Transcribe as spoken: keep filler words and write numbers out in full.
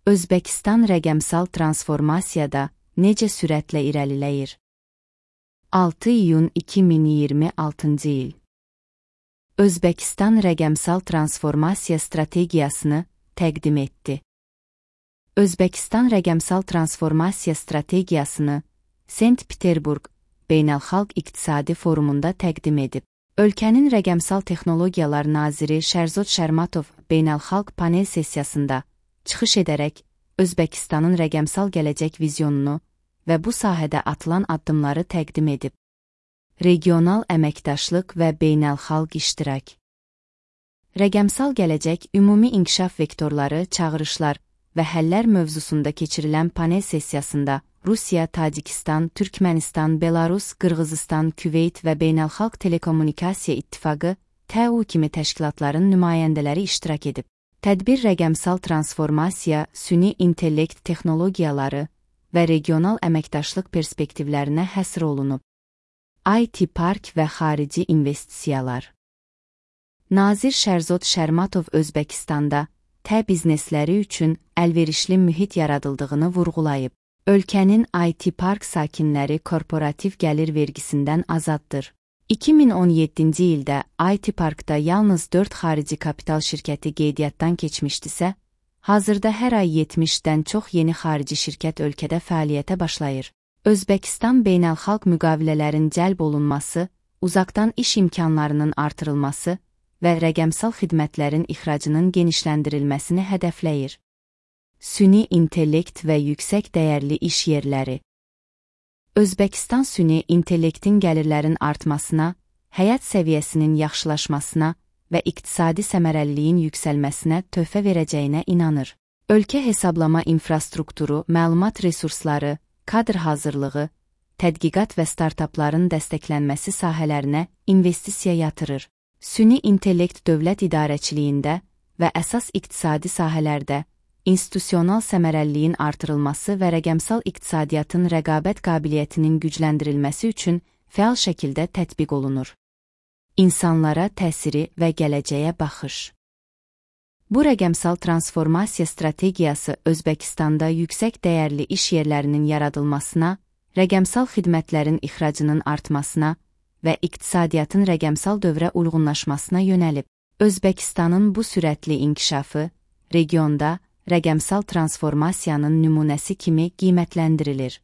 Özbəkistan rəqəmsal transformasiyada necə sürətlə irəliləyir? altı iyun iki min iyirmi altıncı il. Özbəkistan rəqəmsal transformasiya strategiyasını təqdim etdi. Özbəkistan rəqəmsal transformasiya strategiyasını Sankt-Peterburq Beynəlxalq İqtisadi Forumunda təqdim edib. Ölkənin rəqəmsal texnologiyalar naziri Şərzod Şərmatov beynəlxalq panel sessiyasında çıxış edərək Özbəkistanın rəqəmsal gələcək vizyonunu və bu sahədə atılan addımları təqdim edib. Regional əməkdaşlıq və beynəlxalq iştirak. Rəqəmsal gələcək ümumi inkişaf vektorları, çağırışlar və həllər mövzusunda keçirilən panel sessiyasında Rusiya, Tacikistan, Türkmənistan, Belarus, Qırğızistan, Küveyt və Beynəlxalq Telekommunikasiya İttifaqı T U kimi təşkilatların nümayəndələri iştirak edib. Tədbir rəqəmsal transformasiya, süni intellekt texnologiyaları və regional əməkdaşlıq perspektivlərinə həsr olunub. I T park və xarici investisiyalar. Nazir Şərzod Şərmatov Özbəkistanda T biznesləri üçün əlverişli mühit yaradıldığını vurğulayıb. Ölkənin I T park sakinləri korporativ gəlir vergisindən azaddır. iki min on yeddinci ildə I T parkda yalnız dörd xarici kapital şirkəti qeydiyyatdan keçmişdisə, hazırda hər ay yetmişdən çox yeni xarici şirkət ölkədə fəaliyyətə başlayır. Özbəkistan beynəlxalq müqavilələrin cəlb olunması, uzaqdan iş imkanlarının artırılması və rəqəmsal xidmətlərin ixracının genişləndirilməsini hədəfləyir. Süni intellekt və yüksək dəyərli iş yerləri. Özbəkistan süni intellektin gəlirlərin artmasına, həyat səviyyəsinin yaxşılaşmasına və iqtisadi səmərəliliyin yüksəlməsinə töhfə verəcəyinə inanır. Ölkə hesablama infrastrukturu, məlumat resursları, kadr hazırlığı, tədqiqat və startapların dəstəklənməsi sahələrinə investisiya yatırır. Süni intellekt dövlət idarəçiliyində və əsas iqtisadi sahələrdə institusional səmərəliliyin artırılması və rəqəmsal iqtisadiyyatın rəqabət qabiliyyətinin gücləndirilməsi üçün fəal şəkildə tətbiq olunur. İnsanlara təsiri və gələcəyə baxış. Bu rəqəmsal transformasiya strategiyası Özbəkistanda yüksək dəyərli iş yerlərinin yaradılmasına, rəqəmsal xidmətlərin ixracının artmasına və iqtisadiyyatın rəqəmsal dövrə uyğunlaşmasına yönəlib. Özbəkistanın bu sürətli inkişafı regionda rəqəmsal transformasiyanın nümunəsi kimi qiymətləndirilir.